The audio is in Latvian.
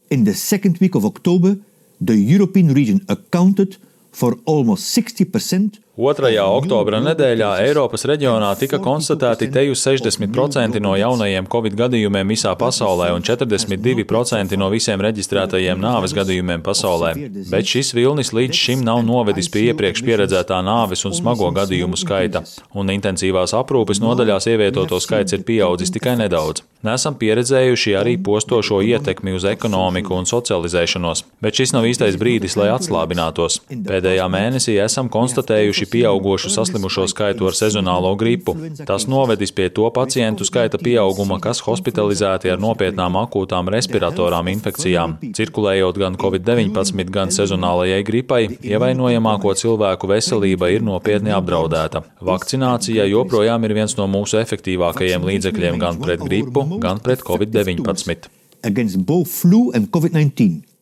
In the second week of October, the European region accounted for almost 60%. 2. oktobra nedēļā Eiropas reģionā tika konstatēti teju 60% no jaunajiem Covid gadījumiem visā pasaulē un 42% no visiem reģistrētajiem nāves gadījumiem pasaulē. Bet šis vilnis līdz šim nav novedis pie iepriekš pieredzētā nāves un smago gadījumu skaita, un intensīvās aprūpes nodaļās ievietoto skaits ir pieaudzis tikai nedaudz. Nesam pieredzējuši arī postošo ietekmi uz ekonomiku un socializēšanos, bet šis nav īstais brīdis, lai atslābinātos. Pēdējā mēnesī esam konstatējuši pieaugošu saslimušo skaitu ar sezonālo gripu. Tas novedis pie to pacientu skaita pieauguma, kas hospitalizēti ar nopietnām akūtām respiratorām infekcijām. Cirkulējot gan Covid-19, gan sezonālajai gripai, ievainojamāko cilvēku veselība ir nopietni apdraudēta. Vakcinācija joprojām ir viens no mūsu efektīvākajiem līdzekļiem gan pret gripu, gan pret Covid-19. Against both flu and COVID-19.